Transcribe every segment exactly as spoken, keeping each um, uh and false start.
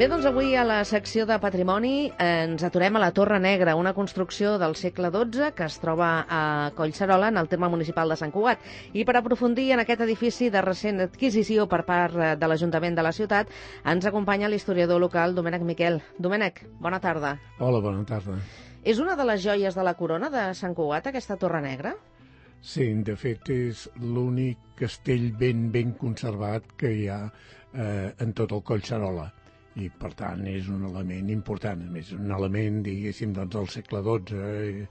doncs avui a la secció de Patrimoni ens aturem a la Torre Negra, una construcció del segle dotze que es troba a Collserola, en el terme municipal de Sant Cugat. I per aprofundir en aquest edifici de recent adquisició per part de l'Ajuntament de la ciutat, ens acompanya l'historiador local Domènec Miquel. Domènec, bona tarda. Hola, bona tarda. És una de les joies de la corona de Sant Cugat, aquesta Torre Negra? Sí, de fet és l'únic castell ben ben conservat que hi ha eh, en tot el Collserola. I, per tant, és un element important. A més, un element, diguéssim, doncs, del segle dotze, eh,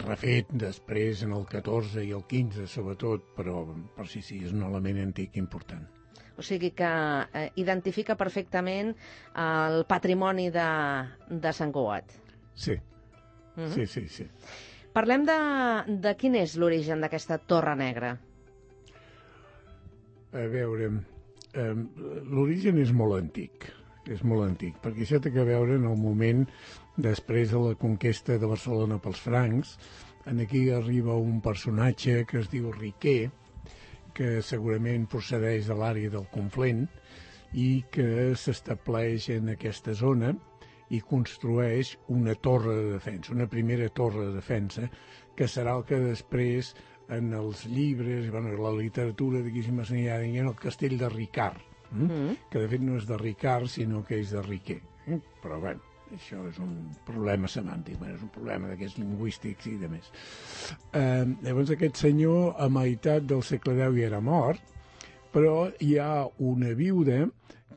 refet després en el catorze i el quinze, sobretot, però per si sí, és un element antic important. O sigui que eh, identifica perfectament el patrimoni de, de Sant Cugat. Sí, Mm-hmm. sí, sí, sí. Parlem de, de quin és l'origen d'aquesta Torre Negra. A veure, eh, l'origen és molt antic. És molt antic, perquè això té a veure en el moment després de la conquesta de Barcelona pels francs. En aquí arriba un personatge que es diu Riquer, que segurament procedeix de l'àrea del Conflent i que s'estableix en aquesta zona i construeix una torre de defensa, una primera torre de defensa, que serà el que després en els llibres, bueno, la literatura, diguéssim, assenyala en el castell de Ricard, mm? Mm. que de fet no és de Ricard, sinó que és de Riquer. Eh? Però, bueno, això és un problema semàntic, bueno, és un problema d'aquests lingüístics i de més. Eh, llavors, aquest senyor, a meitat del segle deu, ja era mort, però hi ha una viuda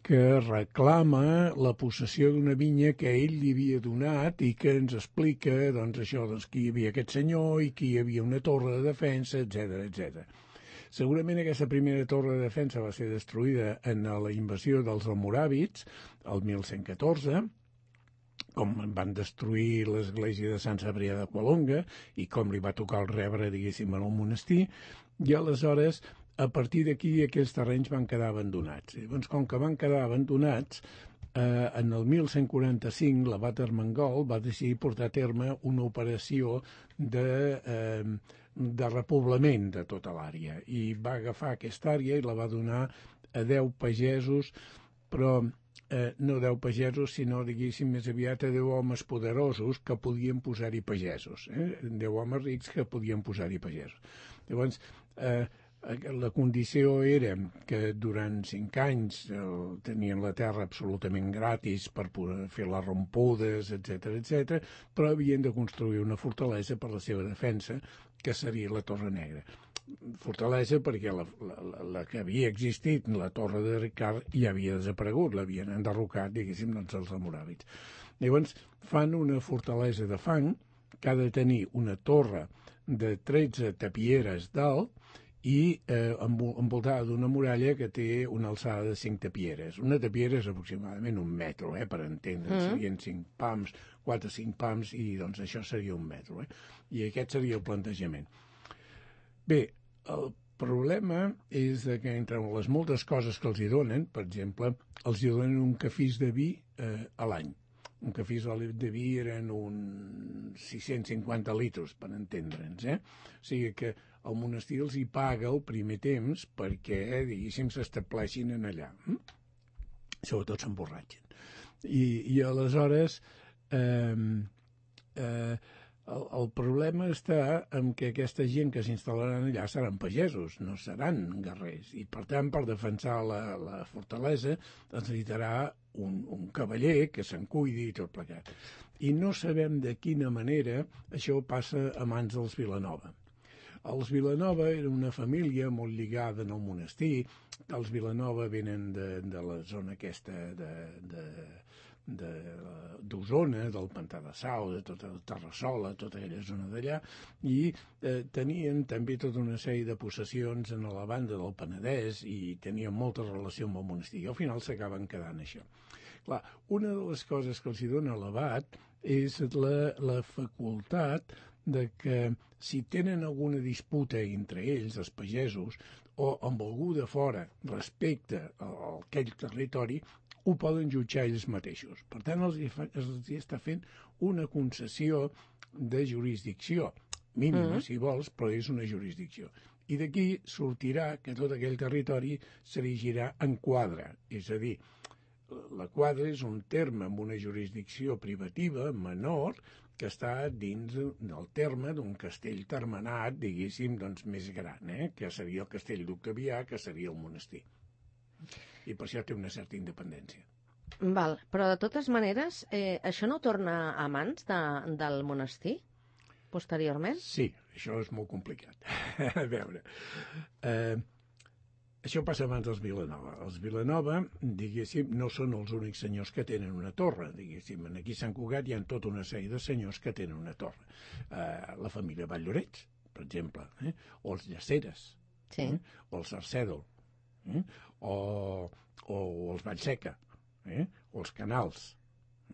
que reclama la possessió d'una vinya que ell li havia donat i que ens explica, doncs, això, doncs, que hi havia aquest senyor i que hi havia una torre de defensa, etcètera, etcètera. Segurament aquesta primera torre de defensa va ser destruïda en la invasió dels almoràvits, el mil cent catorze, com van destruir l'església de Sant Cebrià de Colonga i com li va tocar el rebre, diguéssim, en el monestir, i aleshores, a partir d'aquí, aquests terrenys van quedar abandonats. I, doncs, com que van quedar abandonats, eh, en el mil cent quaranta-cinc l'abat Armengol va decidir portar a terme una operació de, eh, de repoblament de tota l'àrea i va agafar aquesta àrea i la va donar a deu pagesos, però eh, no deu pagesos, sinó, diguéssim, més aviat a deu homes poderosos que podien posar-hi pagesos, eh? deu homes rics que podien posar-hi pagesos. Llavors, eh, la condició era que durant cinc anys eh, tenien la terra absolutament gratis per poder fer les rompudes, etcètera, etcètera, però havien de construir una fortalesa per la seva defensa, que seria la Torre Negra. Fortalesa perquè la, la, la que havia existit, la Torre de Ricard, ja havia desaparegut, l'havien enderrocat, diguéssim, doncs, els almoràvits. Llavors fan una fortalesa de fang que ha de tenir una torre de tretze tapieres d'alt i eh, envoltada d'una muralla que té una alçada de cinc tapieres. Una tapiera és aproximadament un metro, eh, per entendre. Mm. Serien cinc pams, quatre o cinc pams, i doncs això seria un metro. Eh? I aquest seria el plantejament. Bé, el problema és que entre les moltes coses que els hi donen, per exemple, els hi donen un cafís de vi eh, a l'any. Un cafís de vi eren uns sis-cents cinquanta litres, per entendre'ns. Eh? O sigui que el monestir els hi paga el primer temps perquè, eh, diguéssim, s'estableixin en allà. Hm? Sobretot s'emborratxen. I, i aleshores eh, eh, el, el problema està en que aquesta gent que s'instal·laran allà seran pagesos, no seran guerrers. I, per tant, per defensar la, la fortalesa es necessitarà un, un cavaller que se'n cuidi i tot plegat. I no sabem de quina manera això passa a mans dels Vilanova. Els Vilanova era una família molt lligada en el monestir. Els Vilanova venen de, de la zona aquesta de, de, de, d'Osona, del Pantà de Sau, de tota la Terrassola, tota aquella zona d'allà, i eh, tenien també tota una sèrie de possessions en la banda del Penedès i tenien molta relació amb el monestir. I al final s'acaben quedant això. Clar, una de les coses que els hi dona l'abat és la, la facultat de que si tenen alguna disputa entre ells, els pagesos, o amb algú de fora respecte a aquell territori, ho poden jutjar ells mateixos. Per tant, els, els està fent una concessió de jurisdicció, mínima, mm. si vols, però és una jurisdicció. I d'aquí sortirà que tot aquell territori s'erigirà en quadre, és a dir, la quadra és un terme amb una jurisdicció privativa menor que està dins del terme d'un castell termenat, diguéssim, doncs més gran, eh? Que seria el castell d'Octavià, que seria el monestir. I per això té una certa independència. Val, però de totes maneres, eh, això no torna a mans de, del monestir, posteriorment? Sí, això és molt complicat. A veure... Eh, Això passa abans dels Vilanova. Els Vilanova, diguéssim, no són els únics senyors que tenen una torre, diguéssim. Aquí a Sant Cugat hi ha tota una sèrie de senyors que tenen una torre. Uh, la família Valllorets, per exemple, eh? O els Llaceres, sí. eh? O els Sarcèdol, eh? o, o els Vallseca, eh? O els Canals.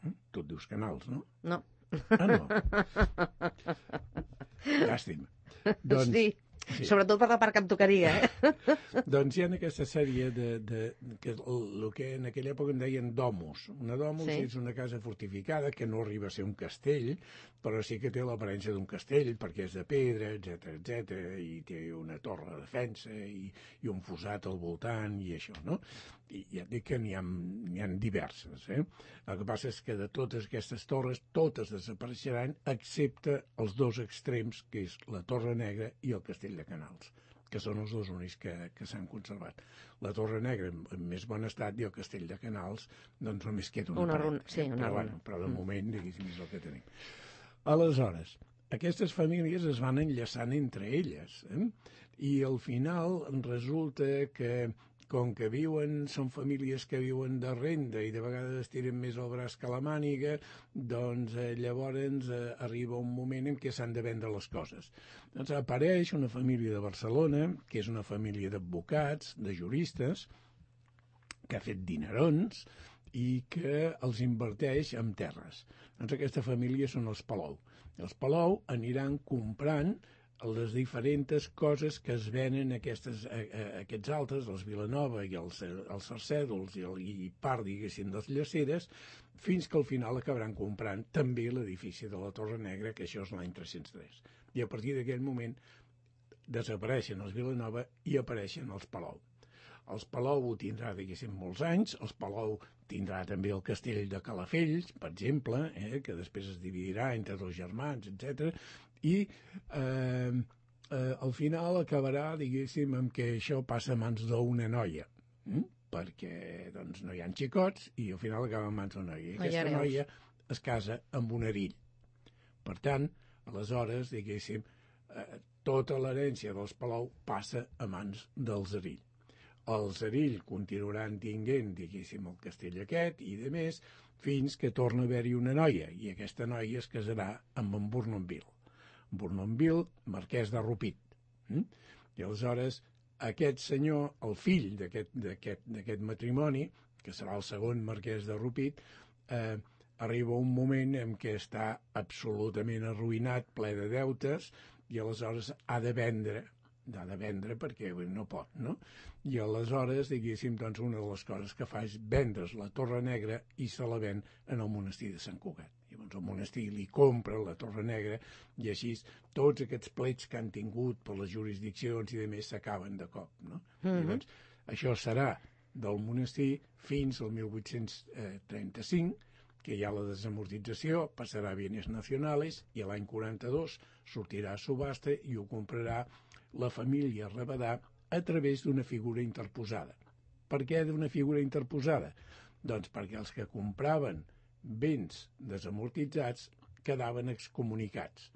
Eh? Tu et dius Canals, no? No. Ah, no. Llàstima. Doncs, sí. Sí. Sobretot per la part que em tocaria, eh? Doncs hi ha aquesta sèrie de, de, que el que en aquella època en deien domus. Una domus sí. És una casa fortificada que no arriba a ser un castell, però sí que té l'aparença d'un castell perquè és de pedra, etcètera, etcètera, i té una torre de defensa i, i un fossat al voltant i això, no? I ja et dic que n'hi ha, n'hi ha diverses, eh? El que passa és que de totes aquestes torres, totes desapareixeran, excepte els dos extrems, que és la Torre Negra i el Castell de Canals, que són els dos únics que, que s'han conservat. La Torre Negra en, en més bon estat i el Castell de Canals doncs només queda una, una paret. Runa, sí, una però, runa. Bueno, però de moment, diguéssim, és el que tenim. Aleshores, aquestes famílies es van enllaçant entre elles, eh? I al final resulta que com que viuen, són famílies que viuen de renda i de vegades tiren més el braç que la màniga, doncs eh, llavors eh, arriba un moment en què s'han de vendre les coses. Doncs apareix una família de Barcelona, que és una família d'advocats, de juristes, que ha fet dinerons i que els inverteix en terres. Doncs aquesta família són els Palou. Els Palou aniran comprant les diferents coses que es venen aquestes, a, a, aquests altres, els Vilanova i els, els Sarcèdols i, el, i part, diguéssim, dels Llaceres, fins que al final acabaran comprant també l'edifici de la Torre Negra, que això és l'any tres-cents tres. I a partir d'aquell moment desapareixen els Vilanova i apareixen els Palou. Els Palou ho tindrà, diguéssim, molts anys. Els Palou tindrà també el castell de Calafells, per exemple, eh, que després es dividirà entre dos germans, etcètera. I eh, eh, al final acabarà, diguéssim, amb que això passa a mans d'una noia, eh? Perquè doncs, no hi ha xicots i al final acaba en mans d'una noia. I aquesta ja noia es casa amb un erill. Per tant, aleshores, diguéssim, eh, tota l'herència dels Palou passa a mans dels Erill. Els Erill continuaran tinguent, diguéssim, el castell aquest i de més, fins que torna a haver-hi una noia, i aquesta noia es casarà amb en Bournonville. Bournonville, marquès de Rupit. Mm? I aleshores, aquest senyor, el fill d'aquest matrimoni, que serà el segon marquès de Rupit, eh, arriba un moment en què està absolutament arruïnat, ple de deutes, i aleshores ha de vendre ha de vendre perquè no pot, no? I aleshores, diguéssim, doncs una de les coses que fa és vendre's la Torre Negra i se la ven en el monestir de Sant Cugat. Llavors el monestir li compra la Torre Negra i així tots aquests plets que han tingut per les jurisdiccions i de més s'acaben de cop, no? Mm-hmm. Llavors, això serà del monestir fins al mil vuit-cents trenta-cinc, que hi ha la desamortització, passarà a bienes nacionales i l'any quaranta-dos sortirà a subhasta i ho comprarà la família Rabadà a través d'una figura interposada. Per què d'una figura interposada? Doncs perquè els que compraven béns desamortitzats quedaven excomunicats.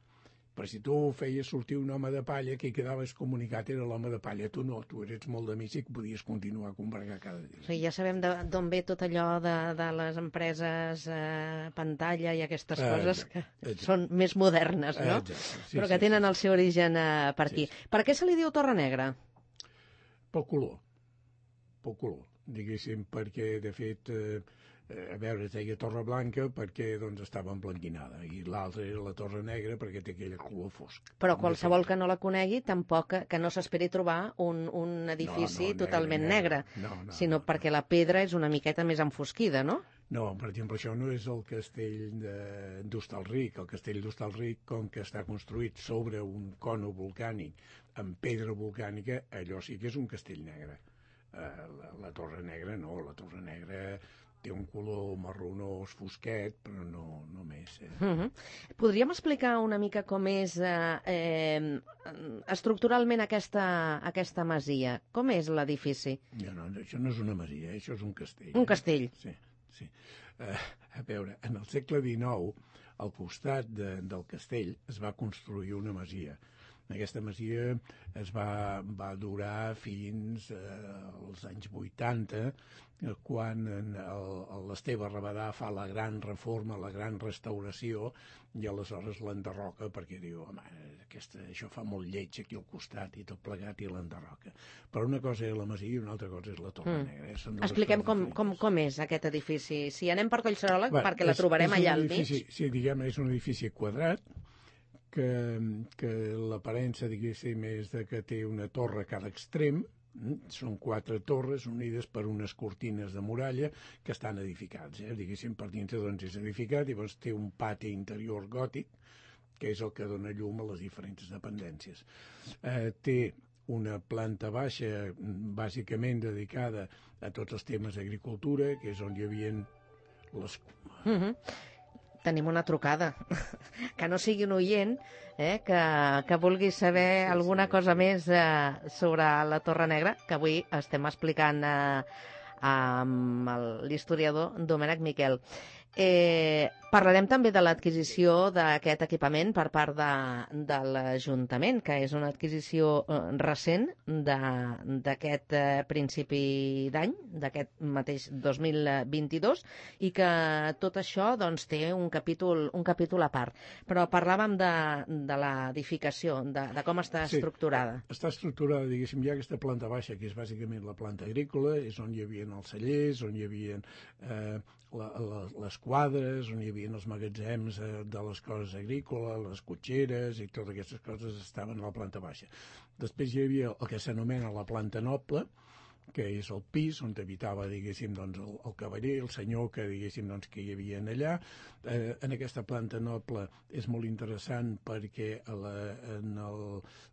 Però si tu feies sortir un home de palla, qui quedava excomunicat era l'home de palla. Tu no, tu eres molt de mig i podies continuar a combregar cada dia. Sí, ja sabem d'on ve tot allò de, de les empreses eh, pantalla i aquestes eh, coses que exacte. Són més modernes, no? Exacte. Sí, però que sí, tenen sí. el seu origen eh, per aquí. Sí, sí. Per què se li diu Torre Negra? Pel color. Pel color, diguéssim, perquè, de fet... Eh, a veure, es deia Torre Blanca perquè doncs, estava emblanquinada i l'altra era la Torre Negra perquè té aquell color fosc. Però qualsevol que no la conegui tampoc que, que no s'esperi trobar un, un edifici no, no, totalment negre, negre no, no, sinó no, perquè no. La pedra és una miqueta més enfosquida, no? No, per exemple, això no és el castell d'Hostalric. El castell d'Hostalric, com que està construït sobre un cono volcànic amb pedra volcànica, allò sí que és un castell negre. Uh, la, la Torre Negra no, la Torre Negra té un color marronós fosquet, però no, no més. Eh? Uh-huh. Podríem explicar una mica com és eh, eh, estructuralment aquesta, aquesta masia? Com és l'edifici? No, no, això no és una masia, això és un castell. Un castell. Eh? Sí, sí. Uh, a veure, en el segle dinou, al costat de, del castell es va construir una masia. Aquesta masia es va, va durar fins eh, als anys vuitanta, quan l'Esteve Rabadà fa la gran reforma, la gran restauració, i aleshores l'enderroca perquè diu, home, aquesta, això fa molt lleig aquí al costat i tot plegat, i l'enderroca. Però una cosa és la masia i una altra cosa és la Torre mm. Negra. Eh? Expliquem com, com, com és aquest edifici. Si anem per Collserola, Va, perquè la és, trobarem és allà al mig. Sí, diguem, és un edifici quadrat, que, que l'aparença, diguéssim, és de que té una torre a cada extrem. Són quatre torres unides per unes cortines de muralla que estan edificats. Eh? Diguéssim, per dintre doncs, és edificat, i llavors té un pati interior gòtic, que és el que dona llum a les diferents dependències. Eh, té una planta baixa, bàsicament dedicada a tots els temes d'agricultura, que és on hi havia les... Mm-hmm. Tenim una trucada, que no sigui un oient, eh, que, que vulgui saber sí, alguna sí, cosa sí. més eh, sobre la Torre Negra, que avui estem explicant eh, amb l'historiador Domènec Miquel. Eh, parlarem també de l'adquisició d'aquest equipament per part de, de l'Ajuntament, que és una adquisició eh, recent d'aquest eh, principi d'any, d'aquest mateix dos mil vint-i-dos, i que tot això doncs, té un capítol, un capítol a part. Però parlàvem de, de l'edificació, de, de com està sí, estructurada. Està estructurada, diguéssim, hi ha aquesta planta baixa, que és bàsicament la planta agrícola, és on hi havia els cellers, on hi havia eh, la, la, les quadres, on hi havia els magatzems eh, de les coses agrícoles, les cotxeres i totes aquestes coses estaven a la planta baixa. Després hi havia el que s'anomena la planta noble, que és el pis on habitava, diguéssim, doncs, el, el cavaller, el senyor que, diguéssim, doncs, que hi havia allà. Eh, en aquesta planta noble és molt interessant perquè a la, en el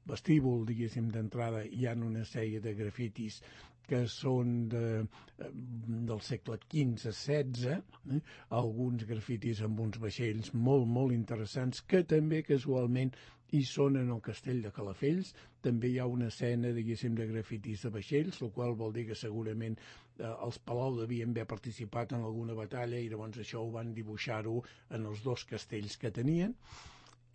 vestíbul, diguéssim, d'entrada hi ha una sèrie de grafitis que són de, del segle quinze setze, eh? Alguns grafitis amb uns vaixells molt, molt interessants, que també casualment hi són en el castell de Calafells. També hi ha una escena, diguéssim, de grafitis de vaixells, el qual vol dir que segurament eh, els Palau devien haver participat en alguna batalla i llavors això ho van dibuixar-ho en els dos castells que tenien.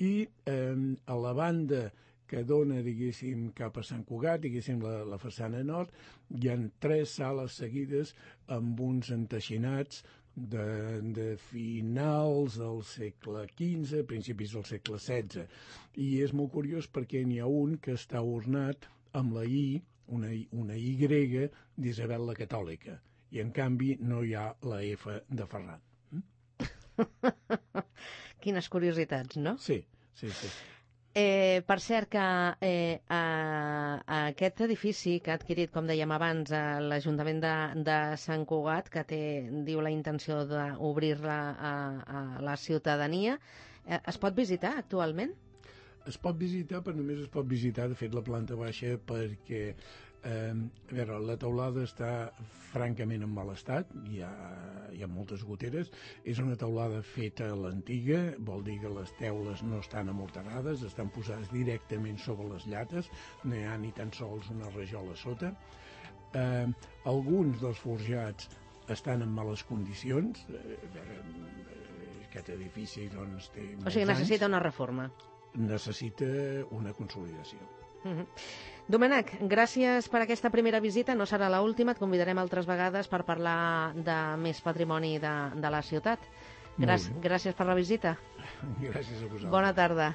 I eh, a la banda que dona, diguéssim, cap a Sant Cugat, diguéssim, la, la façana nord, hi ha tres sales seguides amb uns enteixinats de, de finals del segle quinze, principis del segle setze. I és molt curiós perquè n'hi ha un que està ornat amb la I, una, una Y d'Isabel la Catòlica, i en canvi no hi ha la F de Ferran. Mm? Quines curiositats, no? Sí, sí, sí. Eh, per cert que eh, a, a aquest edifici que ha adquirit, com dèiem abans, l'Ajuntament de, de Sant Cugat, que té, diu, la intenció d'obrir-la a, a la ciutadania, eh, es pot visitar actualment? Es pot visitar, però només es pot visitar, de fet, la planta baixa, perquè eh, a veure, la teulada està francament en mal estat, hi ha, hi ha moltes goteres, és una teulada feta a l'antiga, vol dir que les teules no estan amorterades, estan posades directament sobre les llates, no hi ha ni tan sols una rajola sota. Eh, alguns dels forjats estan en males condicions, eh, aquest edifici doncs, té molts O sigui, necessita anys. una reforma. Necessita una consolidació. Uh-huh. Domènec, gràcies per aquesta primera visita, no serà l'última, et convidarem altres vegades per parlar de més patrimoni de, de la ciutat. Gràcies, gràcies per la visita. Gràcies a vosaltres. Bona tarda.